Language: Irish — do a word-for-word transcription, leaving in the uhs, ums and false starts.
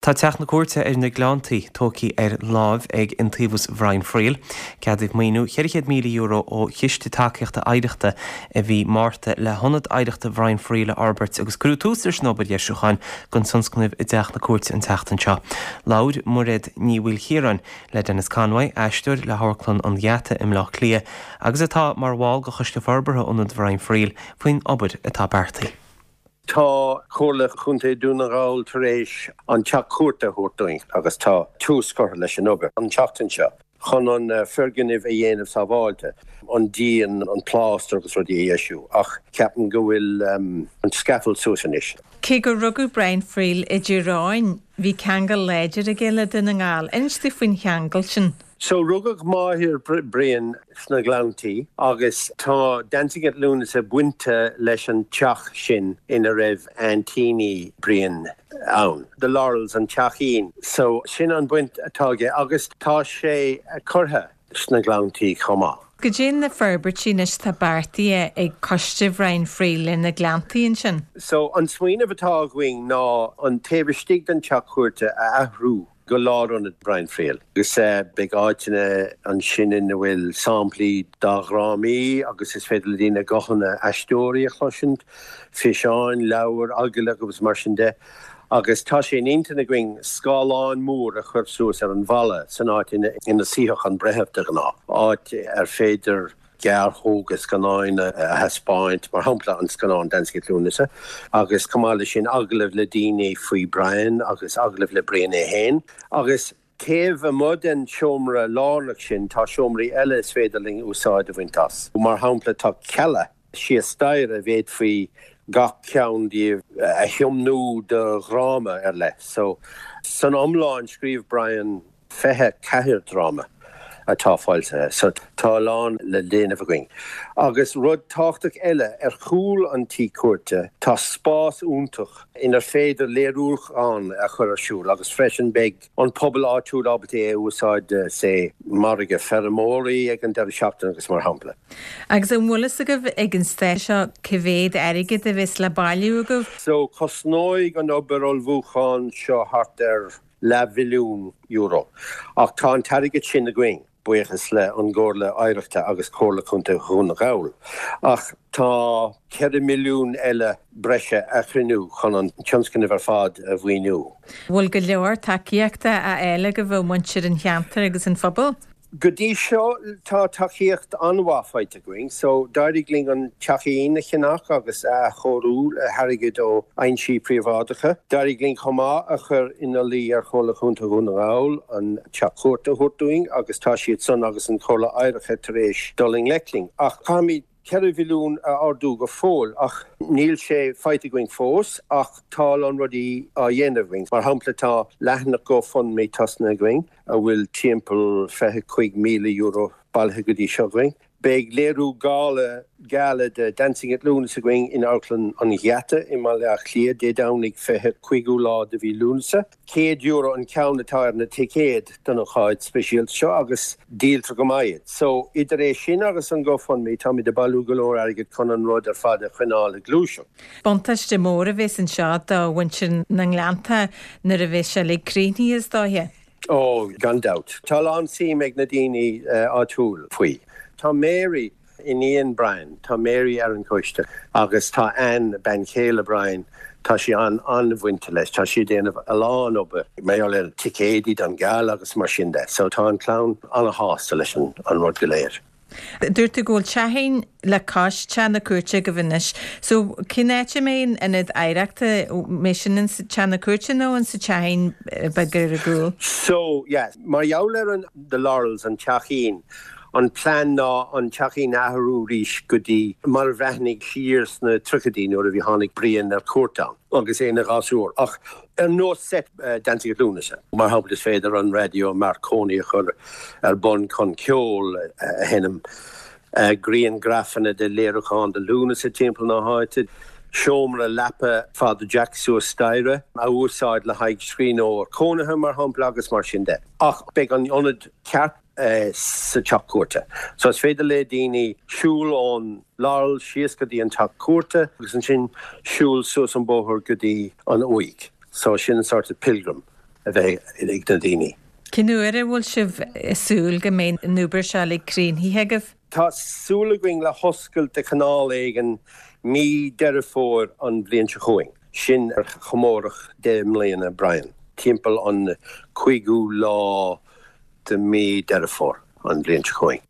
Tá teach na cúirte ar na Gleanntaí tógtha ar láimh ag Iontaobhas Bhrian Friel. Ceadaíodh maoiniú ceithre chéad míle euro ó Chiste Tacaíochta Oidhreachta i mí Márta le hionad oidhreachta Bhrian Friel a fhorbairt agus cuireadh tús leis an obair dheisiúcháin don tionscnamh i dteach na cúirte an tseachtain seo. Labhair Mairéad Ní Mhaoilchiaráin le Denis Conway, aisteoir le hAmharclann an Gheata i mBleá Cliath, agus atá mar bhall de Choiste Forbartha Ionad Bhrian Friel faoin obair atá beartaithe. Tá Comhairle Chontae Dhún na nGall tar éis an teach cúirte a thabhairt dúinn agus tá tús curtha leis an obair an tseachtain seo chun an foirgneamh a dhéanamh sábháilte, an díon, an plástar agus rudaí a dheisiú, ach ceapaim go bhfuil an scaffold suas anois. Cé gur rugadh Brian Friel i dTír Eoghain, bhí ceangal láidir aige le Dún na nGall. Inis dúinn faoin cheangal sin. So rugadh máthair Brian sna Gleanntaí agus tá Dancing at Lúnasa bainte leis an teach sin ina raibh aintíní Brian ann. The Laurels an teachín. So sin an baint atá aige agus tá sé curtha sna Gleanntaí chomh maith. Cad é na forbairtí anois atá beartaithe ag coiste Bhrian Friel le na Gleanntaí ansin. So an smaoineamh atá againn ná an taobh istigh den teach cúirte a athrú go lárionad Brian Friel. Agus beidh áiteanna ansin ina bhfuil samplaí dá dhrámaí agus is féidir le daoine guthanna aisteoirí a chloisint, físeáin, leabhair, agallaimh agus mar sin de. Agus tá sé in intinn againn scáileán mór a chur suas ar an bhalla san áit ina ina suífeadh an breitheamh de ghnáth, áit ar féidir gearrthóga scannáin a thaispeáint, mar shampla an scannán Dancing at Lúnasa, agus chomh maith leis sin agallaimh le daoine faoi Brian agus agallaimh le Brian é féin. Agus taobh amuigh den seomra lárnach sin tá seomraí eile is féidir linn úsáid a bhaint as. Mar shampla tá cealla síos staighre a bhféadfaí gach ceann díobh a thiomnú do dhráma ar leith. So san iomlán scríobh Brian fiche ceathair dráma atá foilsithe, so tá a lán le déanamh againn. Agus rud tábhachtach eile ar chúl an tí cúirte tá spás iontach inar féidir léiriúchán a chur ar siúl agus freisin beidh an pobal áitiúil ábalta é a úsáid sé margadh feirmeoirí ag an deireadh seachtaine agus mar shampla. Agus an bhfuil fhios agaibh ag an staid seo cé mhéad airgead a bheas le bailiú agaibh? So cosnóidh an obair ullmhúcháin seo thart ar leathmhilliún euro. Ach tá an t-airgead sin againn, buíochas le an gComhairle Oidhreachta agus Comhairle Chontae Dhún na nGall. Ach tá ceithre milliún eile breise a chruinniú chun an tionscnamh ar fad a mhaoiniú. Bhfuil go leor tacaíochta á fháil agaibh ó mhuintir an cheantair agus an phobal? Go dtí seo tá tacaíocht an-mhaith faighte againn, so d'éirigh linn an teachín a cheannach agus a athchóiriú le hairgead ó fhoinsí príobháideacha. D'éirigh linn chomh maith a chur ina luí ar Chomhairle Chontae Dhún na nGall an teach cúirte a thabhairt dúinn agus tá siad san agus an Chomhairle Oidhreachta tar éis dul i ngleic linn. Ach caithfimid ceithre mhilliún a ardú go fóill ach níl sé faighte againn fós ach tá a lán rudaí á dhéanamh againn. Mar shampla tá leathanach GoFundMe tosnaithe againn a bhfuil timpeall fiche cúig míle euro bailithe go dtí seo againn. Beidh léiriú gala gala de Dancing at Lúnasa againn in Amharclann an Gheata i mBaile Átha Cliath Dé Domhnaigh fiche cúigiú lá de mhí Lúnasa. Céad euro an ceann atá ar na ticéid don ócáid speisialta seo agus díoltar go maith iad. So idir é sin agus an GoFundMe táimid ag bailiú go leor airgid chun an rud ar fad a choinneáil ag gluaiseacht. Buntáiste mór a bheas anseo do mhuintir na nGleannta nuair a bheas sé uilig críochnaithe is dóiche. Ó, gan dabht. Tá a lán suim ag na daoine áitiúil faoi. Tá Mary iníon Brian, tá Mary ar an choiste agus tá Anne bean chéile Brian, tá sí an an-bhainte leis, tá sí ag déanamh a lán obair maidir le ticéidí don gala agus mar sin de, so tá an clann an-shásta leis an an rud go léir. Dúirt tú go bhfuil teachín le cois teach na cúirte agaibh anois. So cén áit a mbeidh an ionad oidhreachta mbeidh sin in sa teach na cúirte nó in sa teachín beag ar an gcúl? So yes, mar gheall ar an The Laurels an teachín, an plean ná an teachín a athrú arís go dtí mar a bhreathnaigh siar sna tríochaidí nuair a bhí tháinig Brian ar cuairt ann agus é ina ghasúr ach ar nós set Dancing at Lúnasa. Mar shampla is féidir an raidió Marconi a chur ar bun chun ceol a sheinm, grianghrafanna de léiriúchán de Lúnasa timpeall na háite, seomra leapa Father Jack suas staighre a úsáid le haghaidh scríbhneoir cónaithe mar shampla agus mar sin de. Ach beidh an ionad ceart sa teach cúirte. So is féidir le daoine siúl ón Laurel síos go dtí an teach cúirte agus ansin siúl suas an bóthar go dtí an uaigh. So sin sort of pilgrim a bheith ag na daoine. Cén uair a bhfuil sibh ag súil go mbeidh an obair seo uilig críochnaithe agaibh? Tá súil againn le hoscailt de chineál éigin mí Deireadh Fómhair an bhliain seo chugainn, sin ar chomóradh deich mbliana Brian, timpeall an cúigiú lá de mí Deireadh Fómhair an bhliain seo chugainn.